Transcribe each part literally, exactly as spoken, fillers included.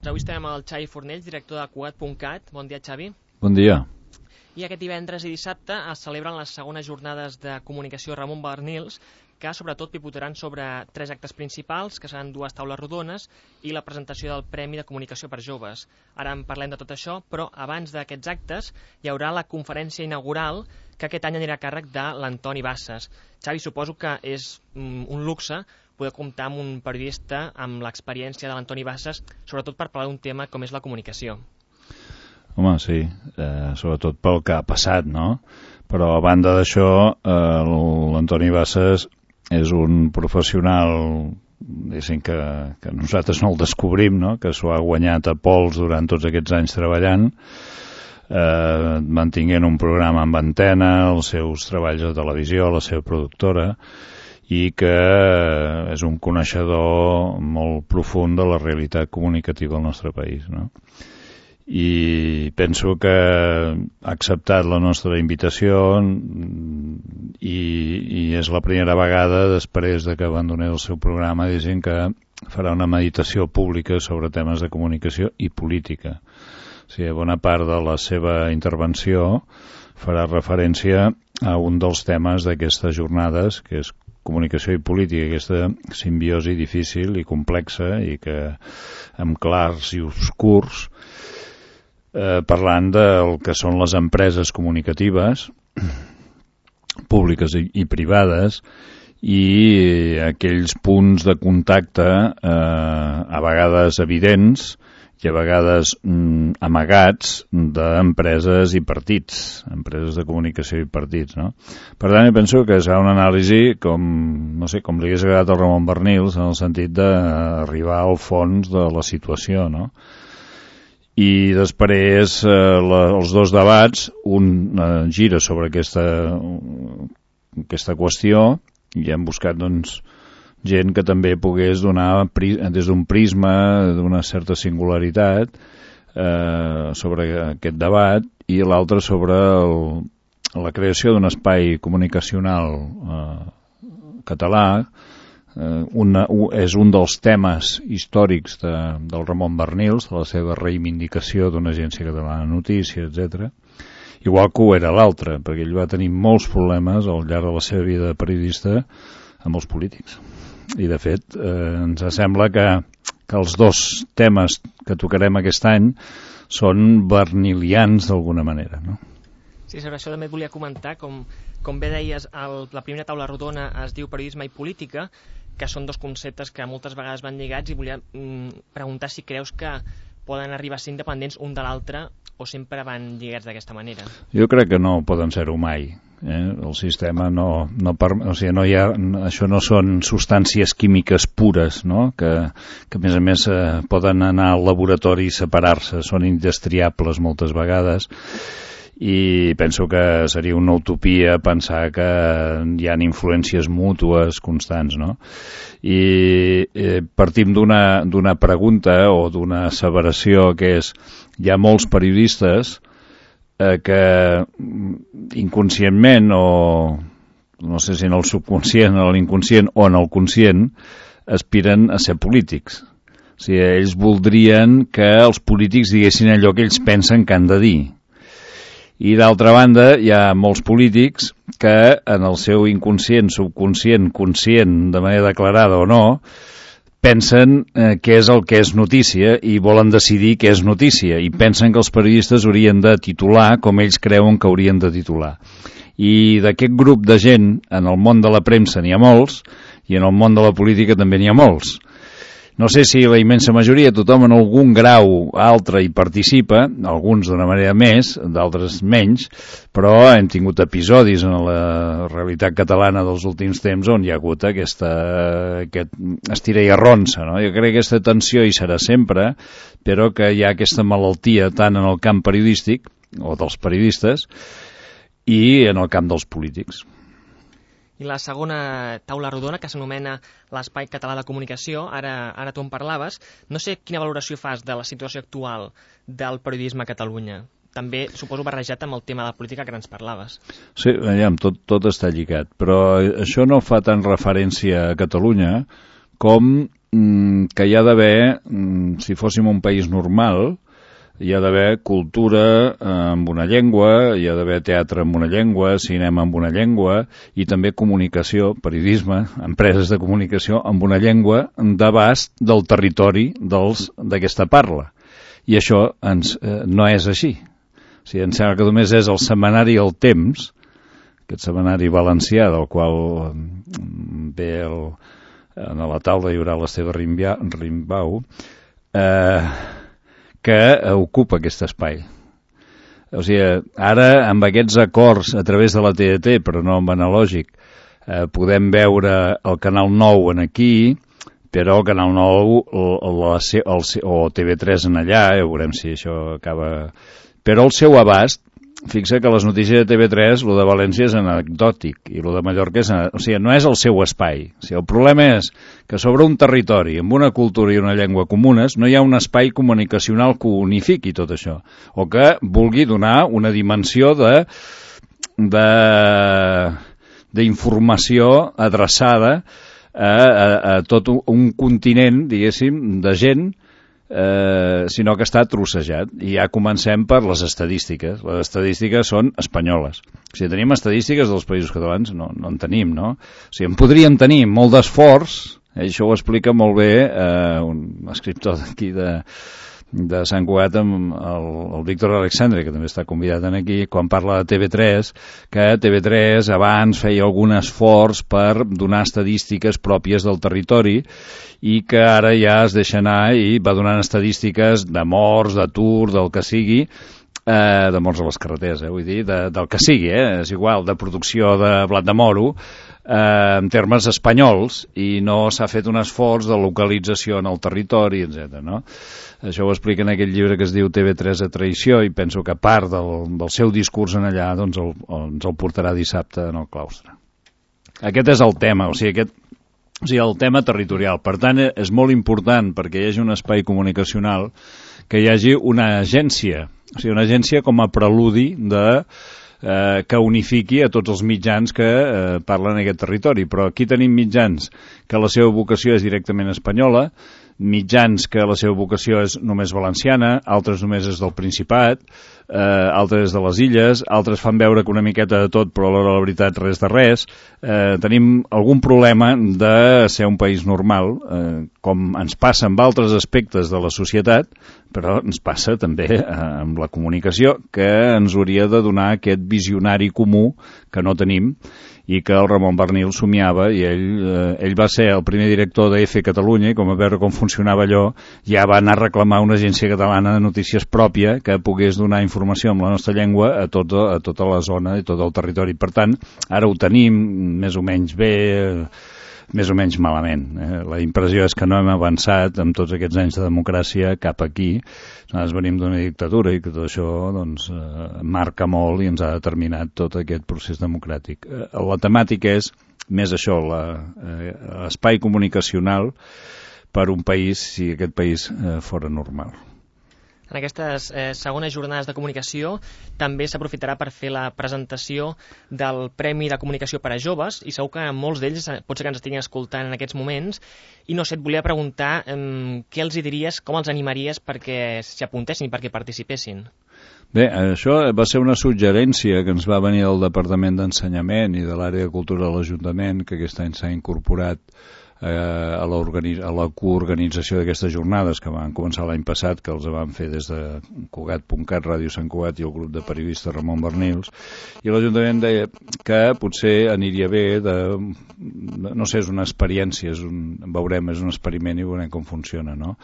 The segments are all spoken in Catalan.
Avui estem amb el Xavi Fornells, director de Cugat punt cat. Bon dia, Xavi. Bon dia. I aquest divendres i dissabte es celebren les segones jornades de comunicació Ramon Barnils, que sobretot pivotaren sobre tres actes principals, que seran dues taules rodones i la presentació del Premi de Comunicació per Joves. Ara en parlem de tot això, però abans d'aquests actes hi haurà la conferència inaugural, que aquest any anirà a càrrec de l'Antoni Bassas. Xavi, suposo que és un luxe poder comptar amb un periodista amb l'experiència de l'Antoni Bassas, sobretot per parlar d'un tema com és la comunicació. Home, sí, eh, sobretot pel que ha passat, no? Però a banda d'això, eh, l'Antoni Bassas és un professional, diguéssim, que, que nosaltres no el descobrim, no? Que s'ho ha guanyat a pols durant tots aquests anys treballant, eh, mantinguent un programa amb antena, els seus treballs de televisió, la seva productora, i que és un coneixedor molt profund de la realitat comunicativa del nostre país, no? I penso que ha acceptat la nostra invitació i, i és la primera vegada després de que abandonés el seu programa dient que farà una meditació pública sobre temes de comunicació i política. O sigui, bona part de la seva intervenció farà referència a un dels temes d'aquestes jornades, que és comunicació i política, aquesta simbiosi difícil i complexa i que amb clars i obscurs, eh, parlant del que són les empreses comunicatives públiques i, i privades i aquells punts de contacte eh, a vegades evidents i a vegades mm, amagats d'empreses i partits, empreses de comunicació i partits, no? Per tant, jo penso que serà una anàlisi com, no sé, com li hagués agradat al Ramon Barnils, en el sentit d'arribar al fons de la situació, no? I després eh, la, els dos debats, un eh, gira sobre aquesta, aquesta qüestió i hem buscat, doncs, gent que també pogués donar des d'un prisma d'una certa singularitat eh, sobre aquest debat i l'altre sobre el, la creació d'un espai comunicacional eh, català. Eh, una, un, és un dels temes històrics de, del Ramon Barnils, de la seva reivindicació d'una agència catalana de notícies, etcètera. Igual que ho era l'altre, perquè ell va tenir molts problemes al llarg de la seva vida de periodista amb els polítics. I de fet eh, ens sembla que, que els dos temes que tocarem aquest any són barnilians d'alguna manera, no? Sí, sobre això també et volia comentar, com, com bé deies, el, la primera taula rodona es diu periodisme i política, que són dos conceptes que moltes vegades van lligats, i volia mm, preguntar si creus que poden arribar a ser independents un de l'altre o sempre van lligats d'aquesta manera. Jo crec que no poden ser-ho mai. Eh? El sistema no, no, per, o sigui, no hi ha, això no són substàncies químiques pures, no? que, que a més a més eh, poden anar al laboratori i separar-se, són indestriables moltes vegades, i penso que seria una utopia pensar que hi ha influències mútues constants, no? I eh, partim d'una d'una pregunta o d'una asseveració que és: hi ha molts periodistes eh, que inconscientment o no sé si en el subconscient o en l'inconscient o en el conscient aspiren a ser polítics. O sigui, ells voldrien que els polítics diguessin allò que ells pensen que han de dir. I d'altra banda hi ha molts polítics que en el seu inconscient, subconscient, conscient, de manera declarada o no, pensen eh, què és el que és notícia i volen decidir què és notícia i pensen que els periodistes haurien de titular com ells creuen que haurien de titular. I d'aquest grup de gent en el món de la premsa n'hi ha molts i en el món de la política també n'hi ha molts. No sé si la immensa majoria, tothom en algun grau altre hi participa, alguns d'una manera més, d'altres menys, però hem tingut episodis en la realitat catalana dels últims temps on hi ha hagut aquesta, aquest estira i arronsa, no? Jo crec que aquesta tensió hi serà sempre, però que hi ha aquesta malaltia tant en el camp periodístic, o dels periodistes, i en el camp dels polítics. I la segona taula rodona, que s'anomena l'Espai Català de Comunicació, ara, ara tu en parlaves, no sé quina valoració fas de la situació actual del periodisme a Catalunya. També, suposo, barrejat amb el tema de la política que ens parlaves. Sí, veiem, tot, tot està lligat, però això no fa tant referència a Catalunya com que hi ha d'haver, si fóssim un país normal, hi ha d'haver cultura amb una llengua, hi ha d'haver teatre amb una llengua, cinema amb una llengua i també comunicació, periodisme, empreses de comunicació amb una llengua d'abast del territori dels d'aquesta parla. I això ens, eh, no és així. O sigui, em sembla que només és el setmanari El Temps, aquest setmanari valencià del qual ve el, a la taula hi haurà l'Esteve Rimbau, eh, que ocupa aquest espai. O sigui, ara, amb aquests acords a través de la T D T, però no amb analògic, eh, podem veure el Canal nou en aquí, però el Canal nou la, el, o T V tres en allà, ja veurem si això acaba... Però el seu abast, fixa que les notícies de T V tres, lo de València és anecdòtic, i lo de Mallorca és... O sigui, no és el seu espai. O sigui, el problema és que sobre un territori, amb una cultura i una llengua comunes, no hi ha un espai comunicacional que unifiqui tot això, o que vulgui donar una dimensió de d'informació adreçada a, a, a tot un continent, diguéssim, de gent, Eh, sinó que està trossejat. I ja comencem per les estadístiques. Les estadístiques són espanyoles. Si tenim estadístiques dels països catalans, no, no en tenim, no? O sigui, en podríem tenir molt d'esforç, eh, això ho explica molt bé eh, un escriptor d'aquí de, de Sant Cugat, amb el, el Víctor Alexandre, que també està convidat aquí, quan parla de T V tres, que T V tres abans feia algun esforç per donar estadístiques pròpies del territori i que ara ja es deixa anar i va donant estadístiques de morts, d'atur, del que sigui, eh, de morts a les carreteres, eh, vull dir, de, del que sigui, eh, és igual, de producció de blat de moro, eh, en termes espanyols, i no s'ha fet un esforç de localització en el territori, etcètera, no? Això ho explica en aquell llibre que es diu T V tres a traïció, i penso que part del, del seu discurs en allà doncs el, ens el portarà dissabte en el claustre. Aquest és el tema, o sigui, aquest, o sigui, el tema territorial. Per tant, és molt important, perquè hi hagi un espai comunicacional, que hi hagi una agència, o sigui, una agència com a preludi de, eh, que unifiqui a tots els mitjans que eh, parlen en aquest territori. Però aquí tenim mitjans que la seva vocació és directament espanyola, mitjans que la seva vocació és només valenciana, altres només és del Principat, eh, altres de les Illes, altres fan veure que una miqueta de tot, però a l'hora de la veritat res de res. Eh, tenim algun problema de ser un país normal, eh, com ens passa amb altres aspectes de la societat, però ens passa també eh, amb la comunicació, que ens hauria de donar aquest visionari comú que no tenim, i que el Ramon Barnil somiava, i ell, eh, ell va ser el primer director de F Catalunya, i com a veure com funcionava allò, ja va anar a reclamar una agència catalana de notícies pròpia que pogués donar informació en la nostra llengua a, tot, a tota la zona i tot el territori. Per tant, ara ho tenim més o menys bé, més o menys malament. Eh? La impressió és que no hem avançat amb tots aquests anys de democràcia cap aquí. Nosaltres venim d'una dictadura i que tot això doncs, eh, marca molt i ens ha determinat tot aquest procés democràtic. Eh, la temàtica és més això, l'espai eh, comunicacional per un país, si aquest país eh, fora normal. En aquestes eh, segones jornades de comunicació també s'aprofitarà per fer la presentació del Premi de Comunicació per a Joves, i segur que molts d'ells pot ser que ens estiguin escoltant en aquests moments, i no sé, et volia preguntar eh, què els hi diries, com els animaries perquè s'hi apuntessin i perquè participessin? Bé, això va ser una suggerència que ens va venir del Departament d'Ensenyament i de l'àrea de cultura de l'Ajuntament, que aquest any s'ha incorporat a la, a la coorganització d'aquestes jornades, que van començar l'any passat, que els van fer des de Cugat punt cat, Ràdio Sant Cugat i el grup de periodistes Ramon Barnils, i l'Ajuntament deia que potser aniria bé de, no sé, és una experiència, és un, veurem, és un experiment i veurem com funciona, no?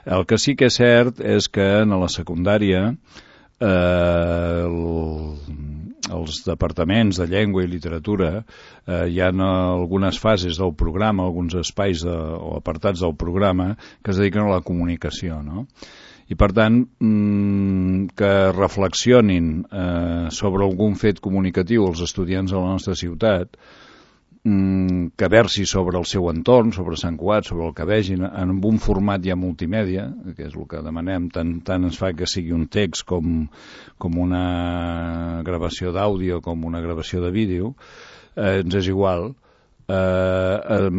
El que sí que és cert és que en la secundària eh, el els departaments de llengua i literatura eh, hi ha algunes fases del programa, alguns espais de, o apartats del programa que es dediquen a la comunicació, no? I per tant mmm, que reflexionin eh, sobre algun fet comunicatiu els estudiants de la nostra ciutat, mmm, que versi sobre el seu entorn, sobre Sant Cugat, sobre el que vegin, en un format ja multimèdia, que és el que demanem, tant, tant ens fa que sigui un text com, com una gravació d'àudio, com una gravació de vídeo, eh, ens és igual, eh, eh,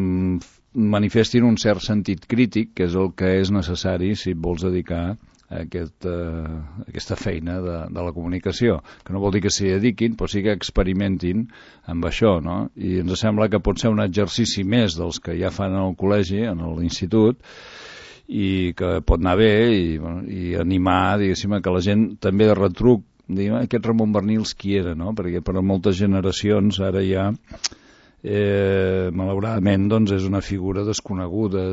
manifestin un cert sentit crític, que és el que és necessari si et vols dedicar a aquest, uh, aquesta feina de, de la comunicació, que no vol dir que s'hi dediquin, però sí que experimentin amb això, no? I ens sembla que pot ser un exercici més dels que ja fan al col·legi, en l'institut, i que pot anar bé i, bueno, i animar, diguéssim, que la gent també de retruc, diguem, aquest Ramon Barnils qui era, no? Perquè per a moltes generacions ara ja Eh, malauradament doncs és una figura desconeguda,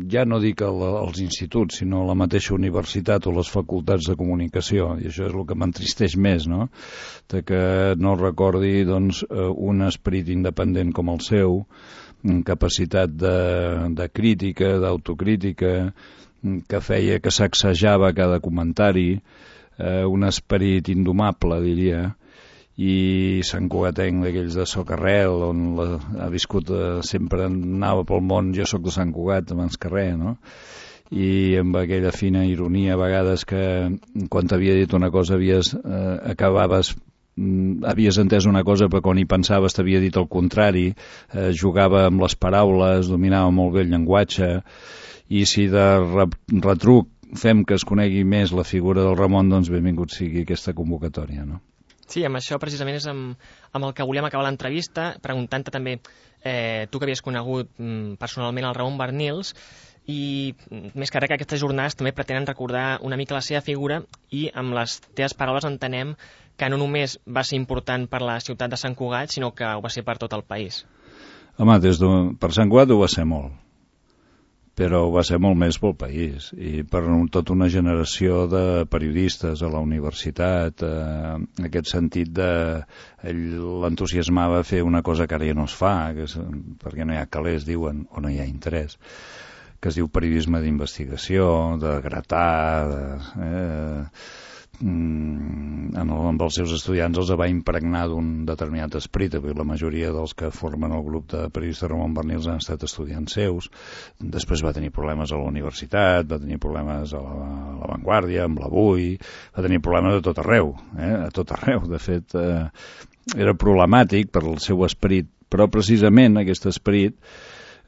ja no dic el, als instituts, sinó a la mateixa universitat o les facultats de comunicació, i això és el que m'entristeix més, no? De que no recordi doncs, un esperit independent com el seu, capacitat de, de crítica, d'autocrítica, que feia que sacsejava cada comentari, eh, un esperit indomable, diria, i Sant Cugatenc d'aquells de Socarrel, on la, ha viscut, eh, sempre anava pel món, jo sóc de Sant Cugat abans que res, no? I amb aquella fina ironia a vegades que quan t'havia dit una cosa havies, eh, acabaves havies entès una cosa però quan hi pensaves t'havia dit el contrari, eh, jugava amb les paraules, dominava molt bé el llenguatge, i si de retruc fem que es conegui més la figura del Ramon, doncs benvingut sigui aquesta convocatòria, no? Sí, amb això precisament és amb, amb el que volíem acabar l'entrevista, preguntant-te també, eh, tu que havies conegut mm, personalment el Ramon Barnils, i més que res que aquestes jornades també pretenen recordar una mica la seva figura, i amb les teves paraules entenem que no només va ser important per la ciutat de Sant Cugat, sinó que ho va ser per tot el país. Home, des de, per Sant Cugat ho va ser molt, però va ser molt més pel país i per tota una generació de periodistes a la universitat, eh, aquest sentit de ell l'entusiasmava a fer una cosa que ara ja no es fa, que és, perquè no hi ha calés, diuen, o no hi ha interès, que es diu periodisme d'investigació, de gratar, de, eh, Mm, en el, amb els seus estudiants els va impregnar d'un determinat esperit, perquè la majoria dels que formen el grup de periodistes Ramon Barnils han estat estudiants seus. Després va tenir problemes a la universitat, va tenir problemes a la, a la Vanguardia, amb l'Avui, va tenir problemes a tot arreu, eh? a tot arreu. De fet, eh, era problemàtic per el seu esperit, però precisament aquest esperit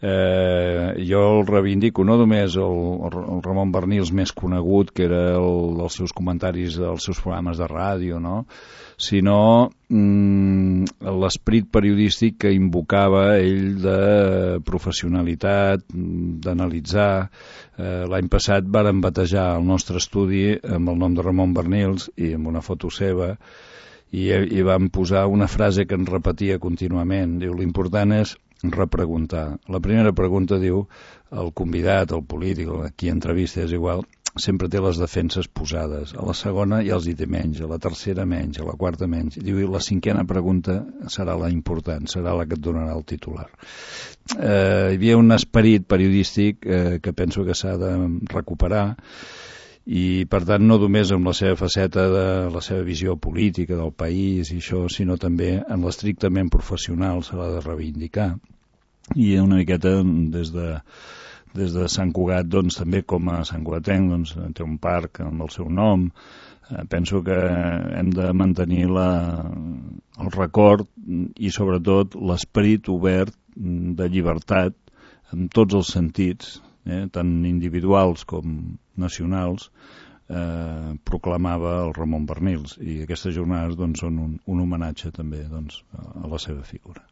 Eh, jo el reivindico no només el, el Ramon Barnils més conegut, que era el, els seus comentaris dels seus programes de ràdio, no? Sinó mm, l'esperit periodístic que invocava ell de professionalitat, d'analitzar. Eh, l'any passat varen batejar el nostre estudi amb el nom de Ramon Barnils i amb una foto seva, i, i vam posar una frase que ens repetia contínuament, diu, l'important és repreguntar. La primera pregunta diu, el convidat, el polític, qui entrevista, és igual, sempre té les defenses posades. A la segona ja els hi té menys, a la tercera menys, a la quarta menys. I diu, la cinquena pregunta serà la important, serà la que et donarà el titular. Eh, hi havia un esperit periodístic eh, que penso que s'ha de recuperar, i per tant no només amb la seva faceta de la seva visió política del país i això, sinó també en l'estrictament professional se l'ha de reivindicar, i una miqueta des de, des de Sant Cugat, doncs també com a Sant Cugatenc, doncs, té un parc amb el seu nom. Eh, penso que hem de mantenir la, el record i sobretot l'esperit obert de llibertat en tots els sentits, eh, tant individuals com nacionals, eh, proclamava el Ramon Barnils, i aquestes jornades doncs, són un, un homenatge també doncs, a la seva figura.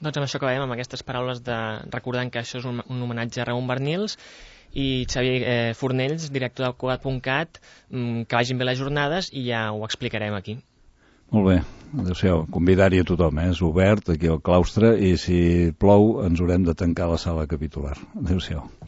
Doncs amb això acabem, amb aquestes paraules de recordant que això és un, un homenatge a Ramon Barnils, i Xavier eh, Fornells, director del Cugat punt cat, que vagin bé les jornades i ja ho explicarem aquí. Molt bé, adéu-siau, convidar-hi a tothom, eh? És obert aquí al claustre, i si plou ens haurem de tancar la sala capitular. Adéu-siau.